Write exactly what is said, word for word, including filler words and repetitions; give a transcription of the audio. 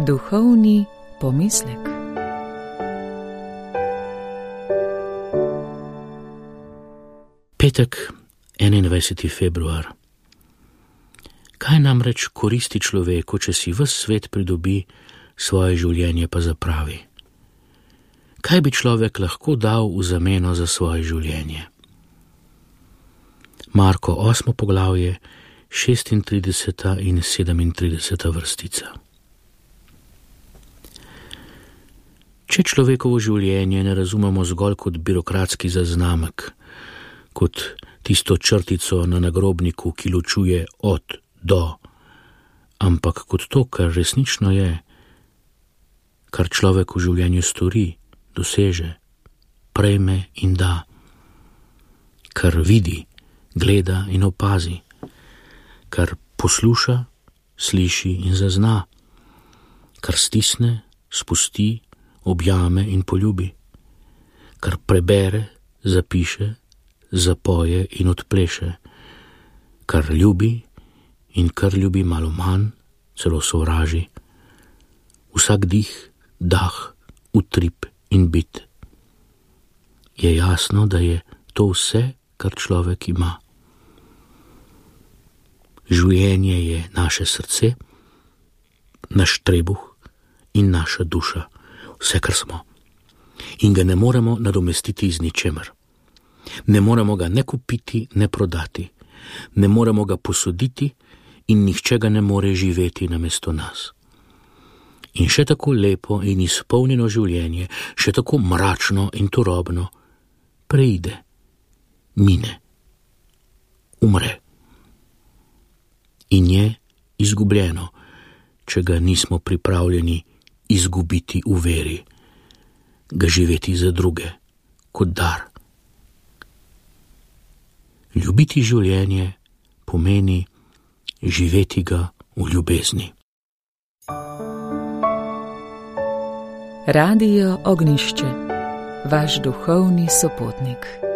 Duhovni pomislek. Petek, enaindvajseti februar. Kaj namreč koristi človeku, če si ves svet pridobi, svoje življenje pa zapravi? Kaj bi človek lahko dal v zameno za svoje življenje? Marko osmo poglavje, šestintrideseta in sedemintrideseta vrstica. Če človekovo življenje ne razumemo zgolj kot birokratski zaznamek, kot tisto črtico na nagrobniku, ki ločuje od do, ampak kot to, kar resnično je, kar človek v življenju stori, doseže, prejme in da, kar vidi, gleda in opazi, kar posluša, sliši in zazna, kar stisne, spusti, objame in poljubi, kar prebere, zapiše, zapoje in odpleše, kar ljubi in kar ljubi malo manj, celo sovraži, vsak dih, dah, utrip in bit. Je jasno, da je to vse, kar človek ima. Življenje je naše srce, naš trebuh in naša duša, vse, kar smo. In ga ne moremo nadomestiti z ničemer. Ne moremo ga ne kupiti, ne prodati. Ne moremo ga posoditi in nihče ga ne more živeti namesto nas. In še tako lepo in izpolnjeno življenje, še tako mračno in turobno, preide, mine, umre. In je izgubljeno, če ga nismo pripravljeni izgubiti v veri, ga živeti za druge, kot dar. Ljubiti življenje pomeni živeti ga v ljubezni. Radio Ognjišče, vaš duhovni sopotnik.